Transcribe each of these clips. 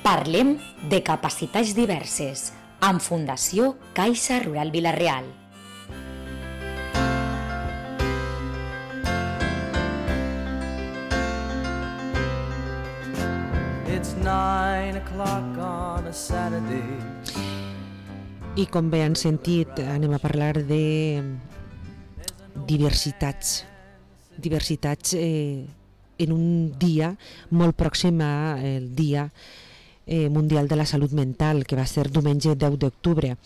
Parlem de capacitats diverses amb Fundació Caixa Rural Vila-real. It's 9 o'clock on a Saturday. I com bé han sentit, anem a parlar de diversitats en un dia molt pròxim al Dia Mundial de la Salut Mental, que va ser diumenge 10 d'octubre.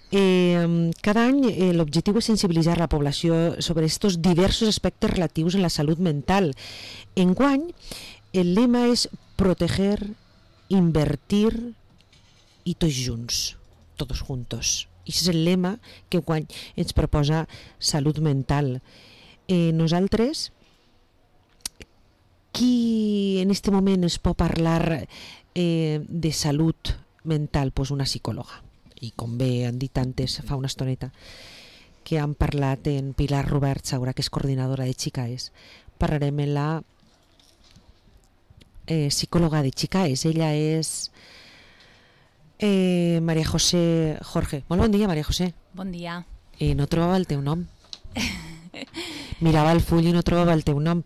Cada any l'objectiu és sensibilitzar la població sobre aquests diversos aspectes relatius a la salut mental. Enguany, el lema és proteger, invertir i tots junts, todos juntos. I aquest és el lema que enguany ens proposa Salut Mental. Nosaltres, qui en aquest moment es pot parlar de salut mental? Pues una psicòloga. I com bé han dit antes, fa una estoneta, que han parlat en Pilar Robert Saura, que és coordinadora de Chicaes. Parlarem en la psicòloga de Chicaes. Ella és María José Jorge. Molt bon dia, María José. Bon dia. No trobava el teu nom. Mirava el full i no trobava el teu nom.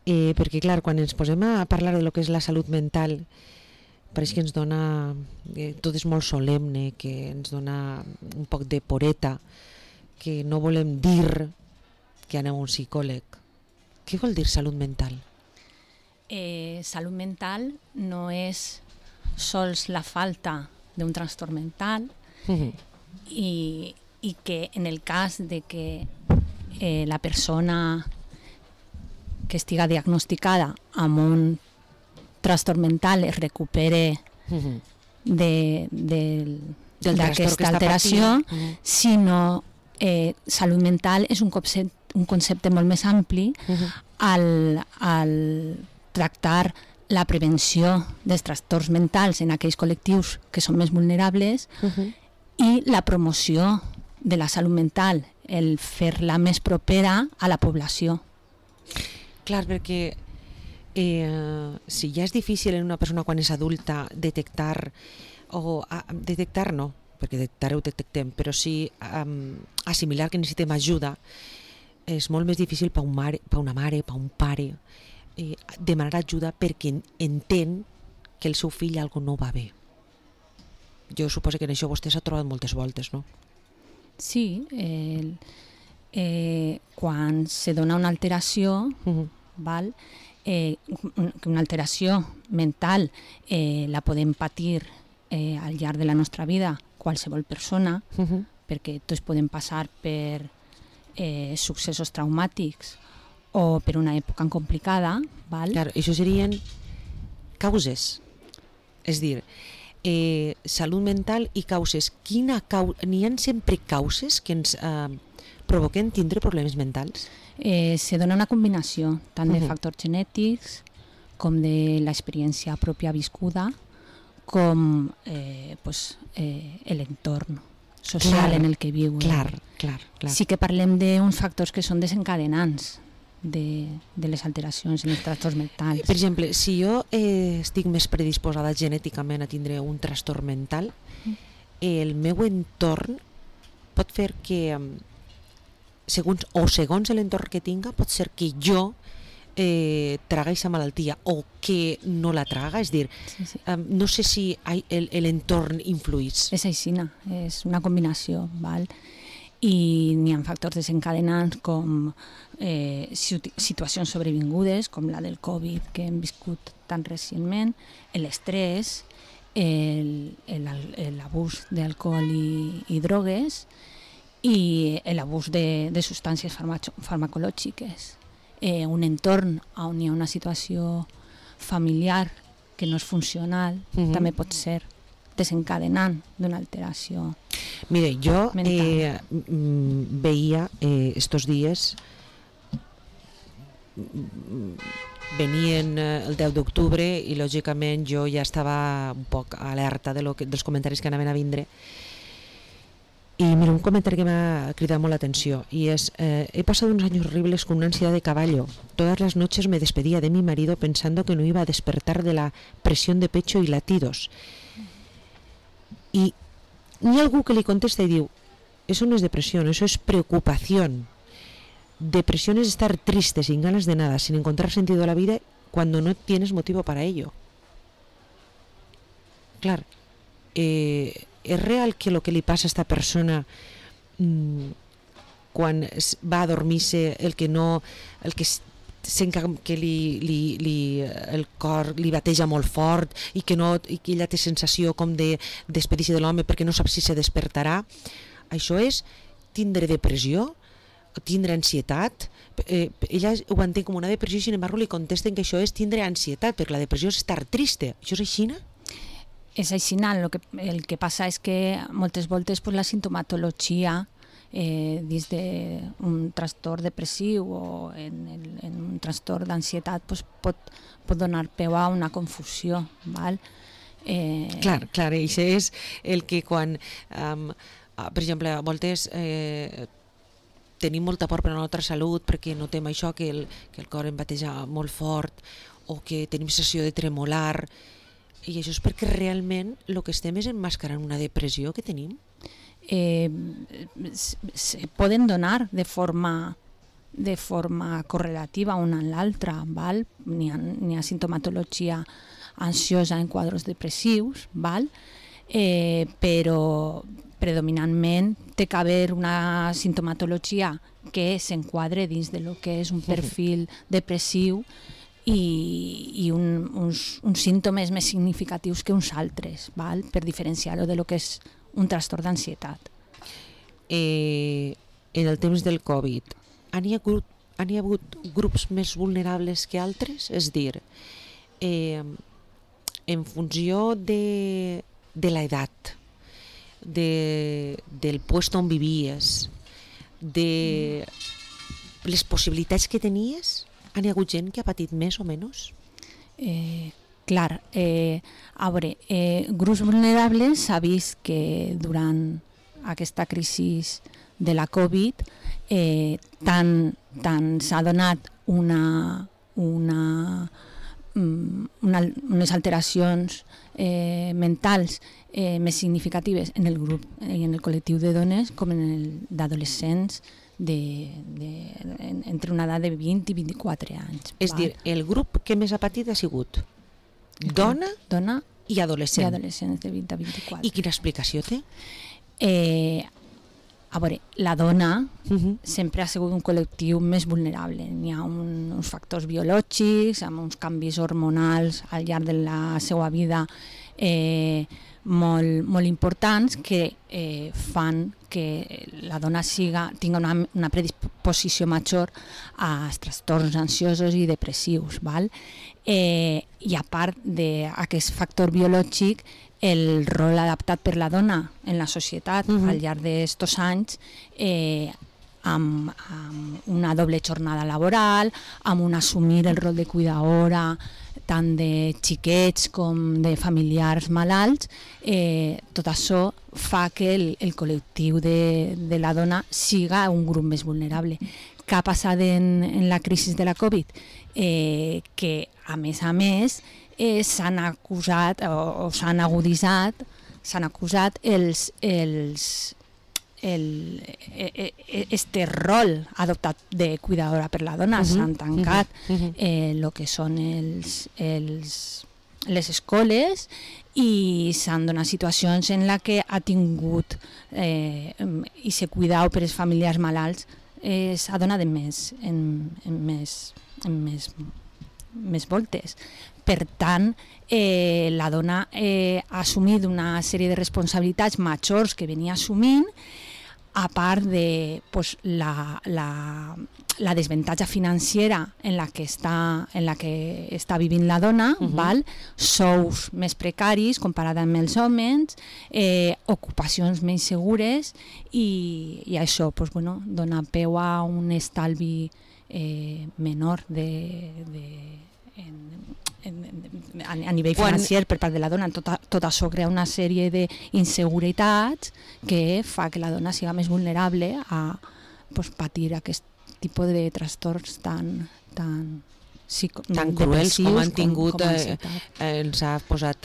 Perquè, clar, quan ens posem a parlar de lo que és la salut mental, pareix que ens dona... tot és molt solemne, que ens dona un poc de poreta, que no volem dir que anem a un psicòleg. Què vol dir salut mental? Salut mental no és sols la falta d'un trastorn mental i que en el cas de que la persona que estiga diagnosticada amb un trastorn mental es recupere d'aquesta alteració, sinó salut mental és un concepte molt més ampli al tractar la prevenció dels trastorns mentals en aquells col·lectius que són més vulnerables i la promoció de la salut mental, el fer-la més propera a la població. Clar, perquè si ja és difícil en una persona quan és adulta detectar no, perquè detectar ho detectem, però sí assimilar que necessitem ajuda, és molt més difícil per una mare, per un pare, demanar ajuda perquè entén que el seu fill algo no va bé. Jo suposo que en això vostè s'ha trobat moltes voltes, no? Sí, quan se dona una alteració, val? Una alteració mental la podem patir al llarg de la nostra vida qualsevol persona, perquè tots podem passar per successos traumàtics o per una època complicada. Val? Clar, això serien causes. És dir, salut mental i causes. N'hi ha sempre causes que ens provoquen tindre problemes mentals? Se dona una combinació tant de factors genètics com de l'experiència pròpia viscuda com l'entorn social en el que viu. Clar. Sí que parlem d'uns factors que són desencadenants de les alteracions en els trastorns mentals. Per exemple, si jo estic més predisposada genèticament a tindre un trastorn mental, el meu entorn pot fer que segons l'entorn que tinga, pot ser que jo traga aquesta malaltia o que no la traga, és dir, no sé si l'entorn influïs. És aixina, és una combinació, val? I n'hi ha factors desencadenants com situacions sobrevingudes, com la del Covid que hem viscut tan recentment, l'estrès, l'abús d'alcohol i drogues, i l'abús de substàncies farmacològiques. Un entorn on hi ha una situació familiar que no és funcional també pot ser desencadenant d'una alteració. Mire, jo veia estos dies, venien el 10 d'octubre i lògicament jo ja estava un poc alerta dels comentaris que anaven a vindre, Y mira, un comentario que me ha criado la atención y es, he pasado unos años horribles con una ansiedad de caballo. Todas las noches me despedía de mi marido pensando que no iba a despertar de la presión de pecho y latidos. Y ni algú que li contesta y diu, eso no es depresión, eso es preocupación. Depresión es estar triste, sin ganas de nada, sin encontrar sentido a la vida cuando no tienes motivo para ello. Claro, és real que el que li passa a esta persona quan va a dormir-se, el que sent que el cor li bateja molt fort i que ella té sensació com de despedir-se de l'home perquè no sap si se despertarà. Això és tindre depressió, tindre ansietat. Ella ho entén com una depressió i sin embargo li contesten que això és tindre ansietat, perquè la depressió és estar triste. Això és així? És així. El que passa és que moltes voltes la sintomatologia dins d'un trastorn depressiu o en un trastorn d'ansietat pot donar peu a una confusió. Val? Clar, això és el que quan, per exemple, a voltes tenim molta por per la nostra salut perquè notem això, que el cor em bateja molt fort o que tenim sensació de tremolar, i això és perquè realment el que estem és emmascarant una depressió que tenim. Poden donar de forma correlativa una amb l'altra. N'hi ha sintomatologia ansiosa en quadres depressius, però predominantment té que haver una sintomatologia que s'enquadre dins de lo que és un perfil depressiu i uns símptomes més significatius que uns altres, per diferenciar-ho de lo que és un trastorn d'ansietat. En el temps del Covid, n'hi ha hagut grups més vulnerables que altres? És dir, en funció de l'edat, del puesto on vivies, de les possibilitats que tenies, n'hi ha hagut gent que ha patit més o menys? Clar, a veure, grups vulnerables s'ha vist que durant aquesta crisi de la Covid tant s'ha donat unes alteracions mentals més significatives en el grup i en el col·lectiu de dones com en el d'adolescents entre una edat de 20 i 24 anys. És dir, el grup que més ha patit ha sigut dona i adolescent. I adolescents de 20 a 24. I quina explicació té? A veure, la dona sempre ha sigut un col·lectiu més vulnerable. N'hi ha uns factors biològics, amb uns canvis hormonals al llarg de la seva vida molt importants que fan que la dona tinga una predisposició major als trastorns ansiosos i depressius. I a part d'aquest factor biològic, el rol adaptat per la dona en la societat al llarg d'estos anys amb una doble jornada laboral, amb un assumir el rol de cuidadora tant de xiquets com de familiars malalts, tot això fa que el col·lectiu de la dona siga un grup més vulnerable. Què ha passat en la crisi de la Covid? Que a més s'han acusat o s'han aguditzat, s'han acusat este rol adoptat de cuidadora per la dona. S'han tancat el que són les escoles i s'han donat situacions en les que ha tingut i se cuidau per als familiars malalts s'ha donat en més voltes. Per tant, la dona ha assumit una sèrie de responsabilitats majors que venia assumint, a part de la desavantatge financera en la que està vivint la dona, sous més precaris comparat amb els homes, ocupacions menys segures i això dona peu a un estalvi menor a nivell financer per part de la dona. Tot això crea una sèrie d'inseguretats que fa que la dona siga més vulnerable a patir aquest tipus de trastorns tan cruels com han tingut, ens ha posat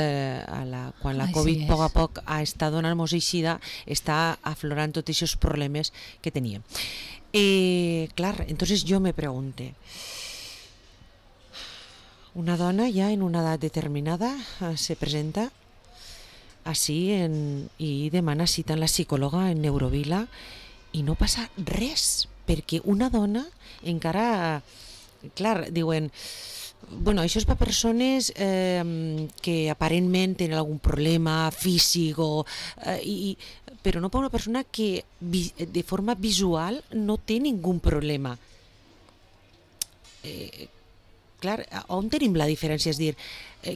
quan la Covid a poc a poc està donant-nos eixida, està aflorant tots aquests problemes que teníem. Clar, entonces yo me pregunté, una dona ya en una edad determinada se presenta así i demana cita en la psicòloga en Neurovila i no passa res, perquè una dona encara... Clar, diuen, bueno, això és per persones que aparentment tenen algun problema físic, però no per una persona que de forma visual no té ningun problema. Clar, on tenim la diferència? És dir,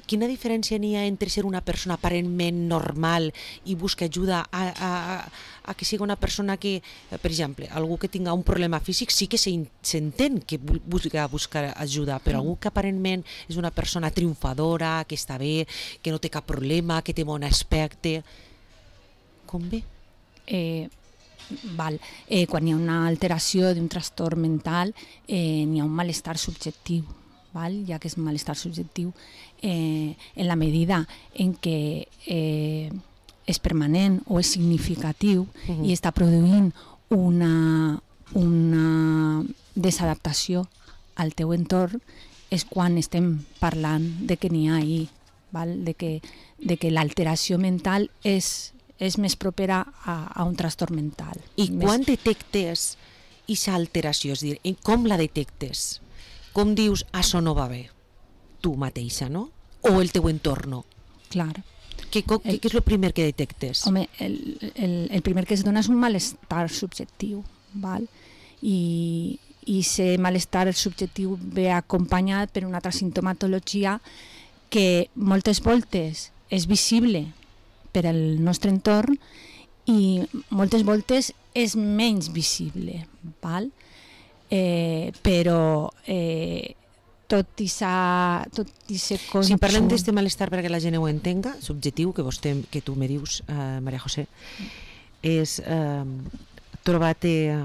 quina diferència n'hi ha entre ser una persona aparentment normal i buscar ajuda a que sigui una persona que, per exemple, algú que tinga un problema físic sí que s'entén que buscar ajuda, però algú que aparentment és una persona triomfadora, que està bé, que no té cap problema, que té bon aspecte, com ve? Quan hi ha una alteració d'un trastorn mental, n'hi ha un malestar subjectiu, ja que és malestar subjectiu, en la medida en què és permanent o és significatiu i està produint una desadaptació al teu entorn, és quan estem parlant de que n'hi ha ahir, de que l'alteració mental és més propera a un trastorn mental. I quan detectes aquesta alteració? És a dir, com la detectes? Com dius, això no va bé? Tu mateixa, no? O el teu entorn? Clar. Què és el primer que detectes? Home, el primer que es dona és un malestar subjectiu, i aquest malestar subjectiu ve acompanyat per una altra simptomatologia que moltes voltes és visible per al nostre entorn i moltes voltes és menys visible, però tot i ser cosa... Si parlem d'aquest malestar perquè la gent ho entenga, subjectiu, que tu me dius, Maria José, és trobar-te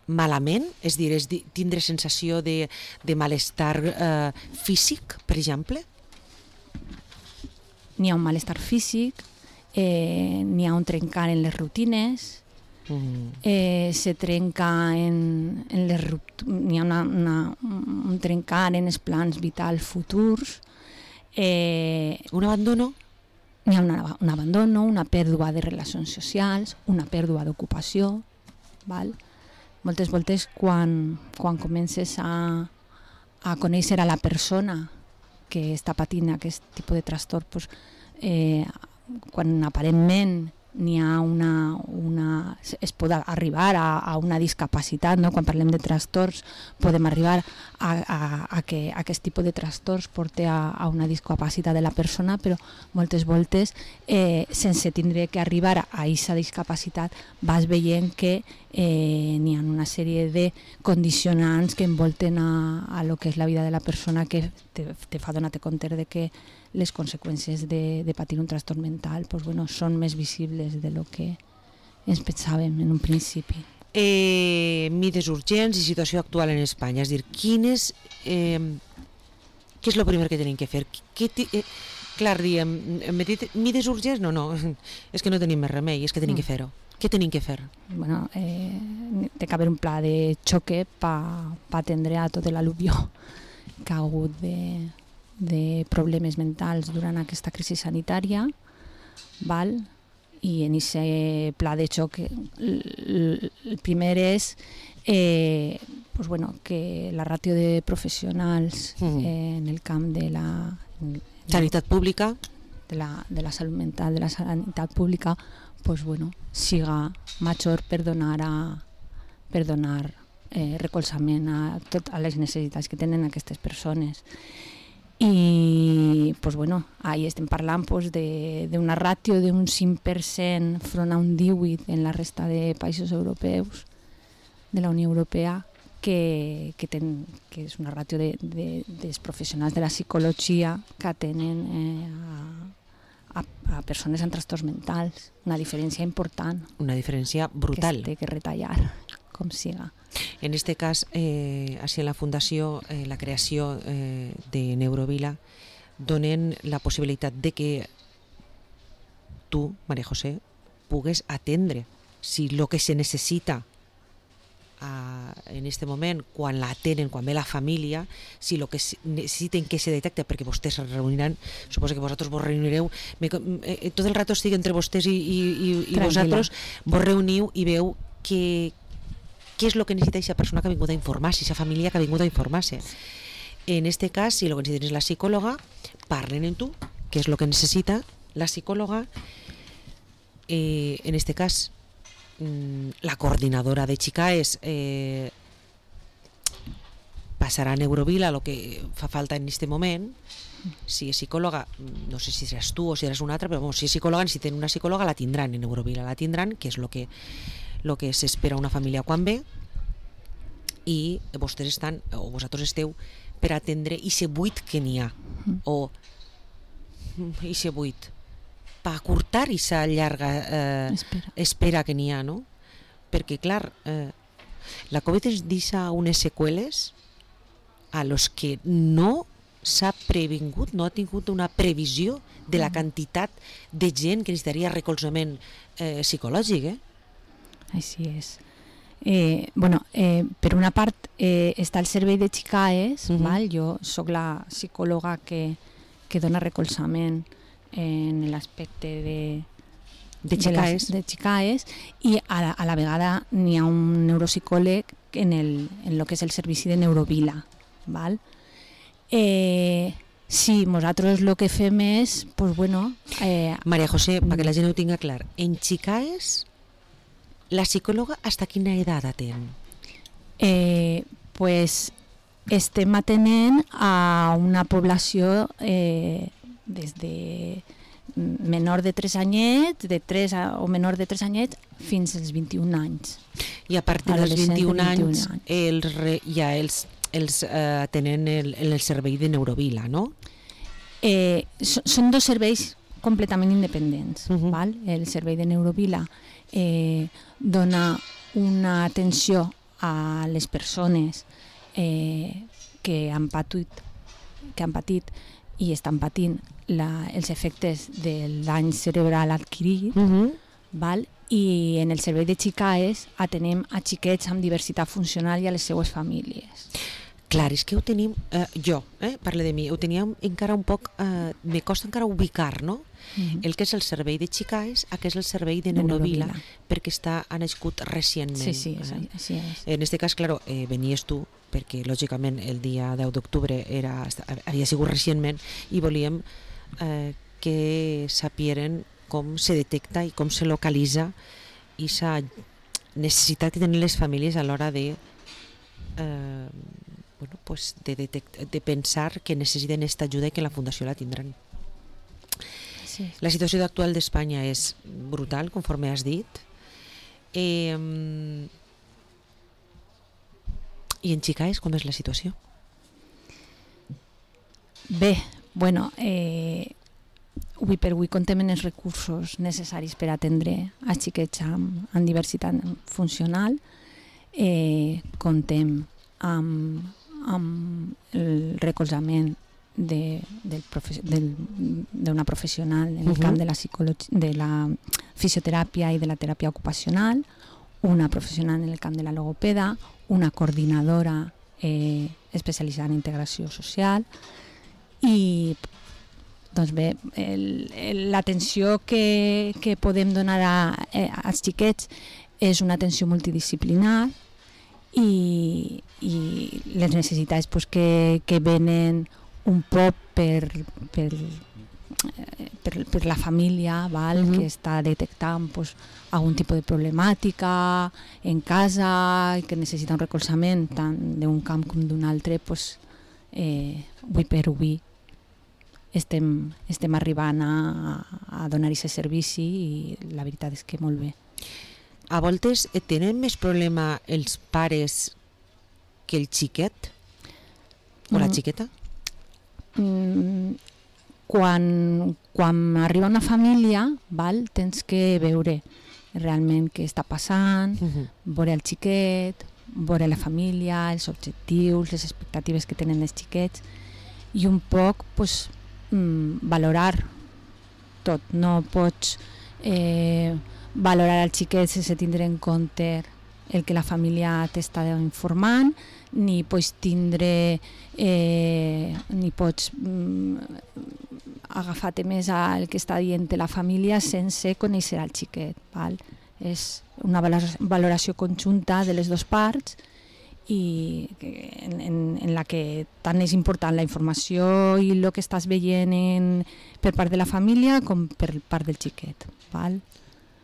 malament, és dir, tindre sensació de malestar físic, per exemple? N'hi ha un malestar físic, n'hi ha un trencar en les rutines, se trenca n'hi ha un trencar en els plans vitals futurs. Un abandono? N'hi ha un abandono, una pèrdua de relacions socials, una pèrdua d'ocupació. Moltes voltes quan comences a conèixer a la persona que està patint aquest tipus de trastorn, quan aparentment n'hi ha es pot arribar a una discapacitat, no? Quan parlem de trastorns podem arribar a que aquest tipus de trastorns porti a una discapacitat de la persona, però moltes voltes sense tindre que arribar a aquesta discapacitat vas veient que n'hi ha una sèrie de condicionants que envolten a lo que és la vida de la persona, que te fa donar-te compte de que les conseqüències de patir un trastorn mental són més visibles de lo que ens pensàvem en un principi. Mides urgents i situació actual en Espanya, és a dir, què és el primer que tenim que fer? Clar, diem, mides urgents? No, és que no tenim més remei, és que tenim que fer-ho. Què tenim que fer? Bueno, té que haver un pla de xoque per atendre a tot l'al·luvió que ha hagut de problemes mentals durant aquesta crisi sanitària, i en aquest pla de xoc el primer és que la ràtio de professionals en el camp de la sanitat pública, de la salut mental, de la sanitat pública, siga major per donar recolzament a totes les necessitats que tenen aquestes persones. I ahí estem parlant d'una ràtio d'un 5% enfront a un 18% en la resta de països europeus de la Unió Europea, que és una ràtio dels professionals de la psicologia que atenen a persones amb trastorns mentals. Una diferència important. Una diferència brutal. Que té que retallar, com siga. En este cas, així en la Fundació, la creació de Neurovila, donen la possibilitat de que tu, María José, pugues atendre si lo que se necessita en este moment, quan la atenen, quan ve la família, si lo que necessiten que se detecte, perquè vostès es reuniran, suposo que vosaltres vos reunireu, tot el rato estic entre vostès i vosaltres, vos reuniu i veu què és el que necessita aquesta persona que ha vingut a informar-se, aquesta família que ha vingut a informar-se. En este cas, si el que necessiten és la psicòloga, parlen amb tu, què és el que necessita la psicòloga. En este cas, la coordinadora de Chicaes passarà a Neurovila el que fa falta en aquest moment. Si és psicòloga, no sé si seràs tu o si seràs una altra, però si és psicòloga, necessiten una psicòloga, la tindran en Neurovila, la tindran, que és el que s'espera una família quan ve, i vostès estan, o vosaltres esteu per atendre i buit que n'hi ha, o i buit per acurtar i llarga espera que n'hi ha, no? Perquè, clar, la Covid ens deixa unes seqüeles a los que no s'ha previngut, no ha tingut una previsió de la quantitat de gent que necessitaria recolzament psicològic, Així és. Per una part està el servei de Chicaes, jo soc la psicòloga que dona recolzament en l'aspecte de Chicaes, i a la vegada n'hi ha un neuropsicòleg en el que és el servici de Neurovila. Sí, nosaltres el que fem és, María José, perquè la gent ho tinga clar, en Chicaes la psicòloga hasta quina edat atén? Estem atenent a una població des de menor de 3 anyets, o menor de 3 anyets, fins als 21 anys. I a partir dels 21 anys ja els tenen el servei de Neurovila, no? Són dos serveis completament independents. El servei de Neurovila dona una atenció a les persones que han patit i estan patint els efectes del dany cerebral adquirit, i en el servei de Chicaes atenem a xiquets amb diversitat funcional i a les seues famílies. Clar, és que ho tenim, jo, parlo de mi, ho teníem encara un poc, me costa encara ubicar, no? El que és el servei de Chicaes, el que és el servei de Neurovila, perquè ha nascut recentment. Sí, així és. En aquest cas, clar, venies tu, perquè lògicament el dia 10 d'octubre havia sigut recentment, i volíem que sapieren com se detecta i com se localitza i la necessitat que tenen les famílies a l'hora de pensar que necessiten aquesta ajuda i que la Fundació la tindran. Sí. La situació actual d'Espanya és brutal, conforme has dit. I en Chicaes com és la situació? Bé, avui per avui contem amb els recursos necessaris per atendre a xiquets amb diversitat funcional. Contem amb el recolzament d'una professional en el camp de la fisioteràpia i de la teràpia ocupacional, una professional en el camp de la logopeda, una coordinadora especialitzada en integració social, i doncs bé, l'atenció que podem donar als xiquets és una atenció multidisciplinar, i les necessitats que venen un poc per la família, que està detectant algun tipus de problemàtica en casa i que necessita un recolzament tant d'un camp com d'un altre. Avui per avui estem arribant a donar aquest servici i la veritat és que molt bé. A voltes tenen més problema els pares que el xiquet o la xiqueta? Quan arriba una família, tens que veure realment què està passant, veure el xiquet, veure la família, els objectius, les expectatives que tenen els xiquets i un poc valorar tot. No pots valorar el xiquet sense tindre en compte el que la família t'està informant, ni pots agafar-te més al que està dient la família sense conèixer el xiquet. És una valoració conjunta de les dues parts i en la que tant és important la informació i el que estàs veient per part de la família com per part del xiquet.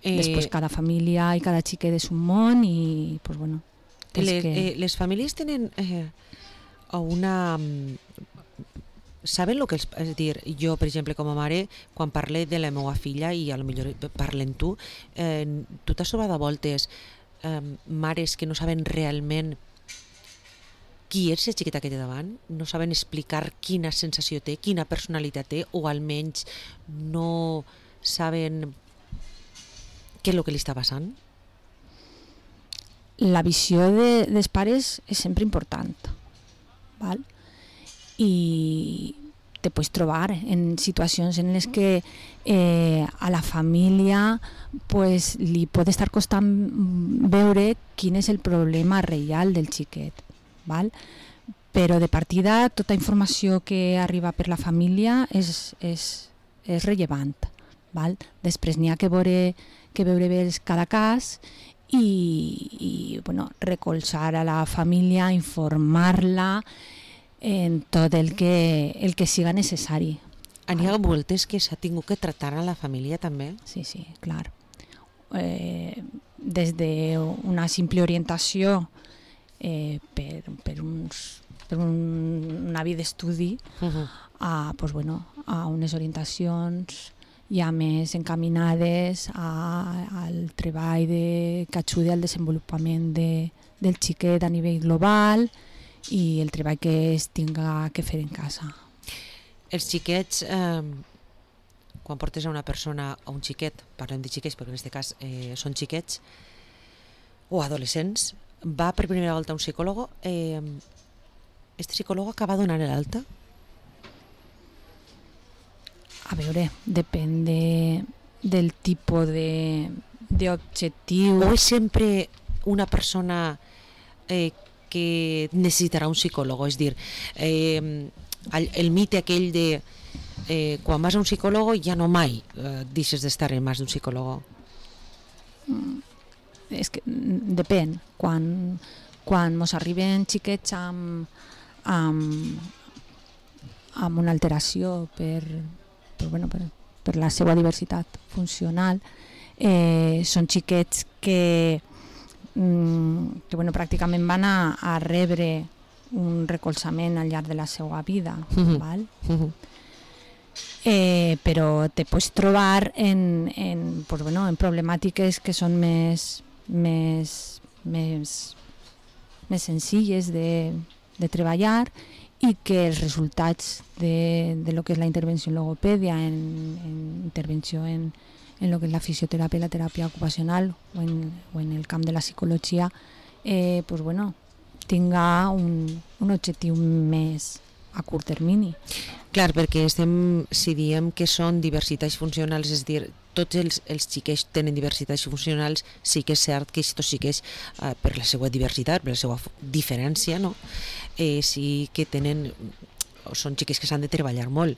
Després cada família i cada xiquet és un món i les famílies tenen una... Saben el que és a dir, jo per exemple com a mare quan parle de la meva filla i potser parlen tu t'has trobat a voltes mares que no saben realment qui és la xiqueta que té davant, no saben explicar quina sensació té, quina personalitat té, o almenys no saben què és el que li està passant? La visió dels pares és sempre important, i te pots trobar en situacions en les que a la família li pot estar costant veure quin és el problema real del xiquet, però de partida tota informació que arriba per la família és rellevant. Després n'hi ha que veure bé cada cas i recolzar a la família, informar-la en tot el que siga necessari. N'hi ha voltes que s'ha tingut que tractar a la família també? Sí, clar. Des d'una simple orientació per un avi d'estudi a unes orientacions ja més encaminades al treball que ajudi al desenvolupament del xiquet a nivell global i el treball que es tinga que fer en casa. Els xiquets, quan portes a una persona, a un xiquet, parlem de xiquets perquè en aquest cas són xiquets o adolescents, va per primera volta a un psicòleg, este psicòleg acaba donant l'alta? A veure, depèn del tipus d'objectiu. O és sempre una persona que necessitarà un psicòleg? És dir, el mite aquell de quan vas a un psicòleg ja no mai deixes d'estar en mans d'un psicòleg. És que depèn. Quan mos arriben xiquets amb una alteració per la seva diversitat funcional, són xiquets que pràcticament van a rebre un recolzament al llarg de la seva vida, però te pots trobar en problemàtiques que són més senzilles de treballar i que els resultats de lo que és la intervenció en logopèdia, en intervenció en lo que és la fisioteràpia i la teràpia ocupacional o en el camp de la psicologia tinga un objectiu més a curt termini. Clar, perquè si diem que són diversitats funcionals, és dir, tots els xiquets tenen diversitats funcionals, sí que és cert que aquests xiquets, per la seva diversitat, per la seva diferència, no? Sí que són xiquets que s'han de treballar molt,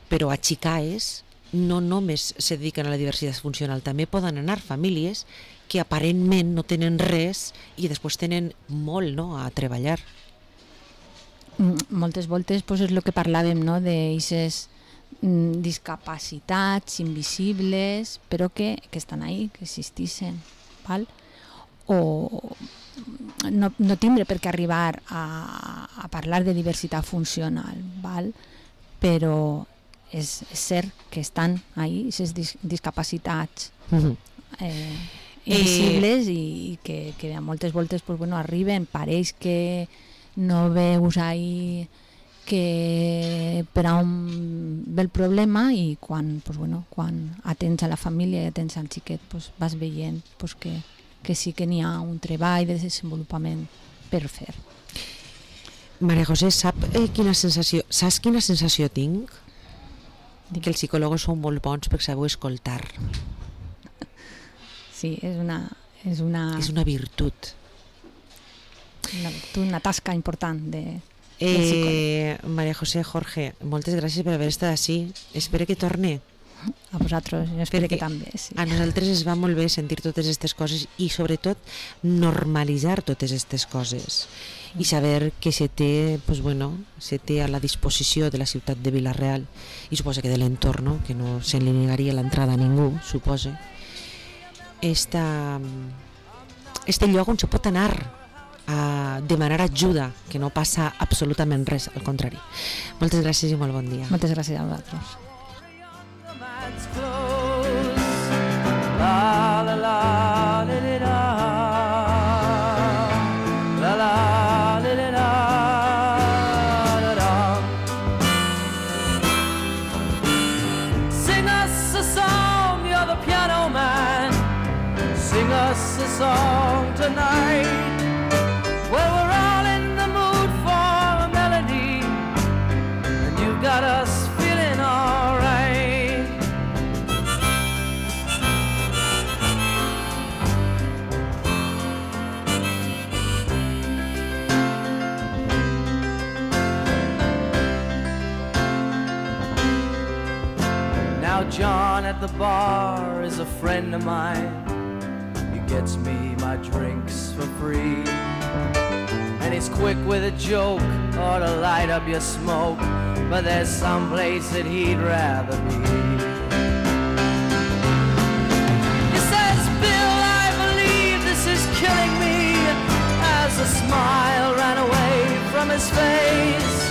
però a xicaes no només se dediquen a la diversitat funcional, també poden anar famílies que aparentment no tenen res i després tenen molt a treballar. Moltes voltes és el que parlàvem, d'aquestes discapacitats invisibles però que estan ahí, que existeixen, o no tindre per què arribar a parlar de diversitat funcional, però és cert que estan ahí, aquestes discapacitats. invisibles i que a moltes voltes pues, bueno, arriben, pareix que no veus ahí que per on ve el problema i quan, pues, bueno, quan atens a la família i atens al xiquet pues, vas veient pues, que sí que n'hi ha un treball de desenvolupament per fer. Maria José, saps quina sensació tinc? Que els psicòlegs són molt bons per saber escoltar. Sí, és una virtut. Una tasca important de Maria José, Jorge, moltes gràcies per haver estat així. Espero que torne. A vosaltres, jo espero que també. Sí. A nosaltres ens va molt bé sentir totes aquestes coses i sobretot normalitzar totes aquestes coses i saber que se té, pues bueno, se té a la disposició de la ciutat de Vila-real i suposa que de l'entorn, no? Que no se li negaria l'entrada a ningú, suposa. Este lloc on se pot anar a demanar ajuda, que no passa absolutament res, al contrari. Moltes gràcies i molt bon dia. Moltes gràcies a vosaltres. La la la la la la la la la la. Sing us a song, you're the piano man. Sing us a song tonight. Well, we're all in the mood for a melody, and you got us feeling all right. Now John at the bar is a friend of mine. He gets me my drinks for free, and he's quick with a joke or to light up your smoke, but there's some place that he'd rather be. He says, Bill, I believe this is killing me, as a smile ran away from his face.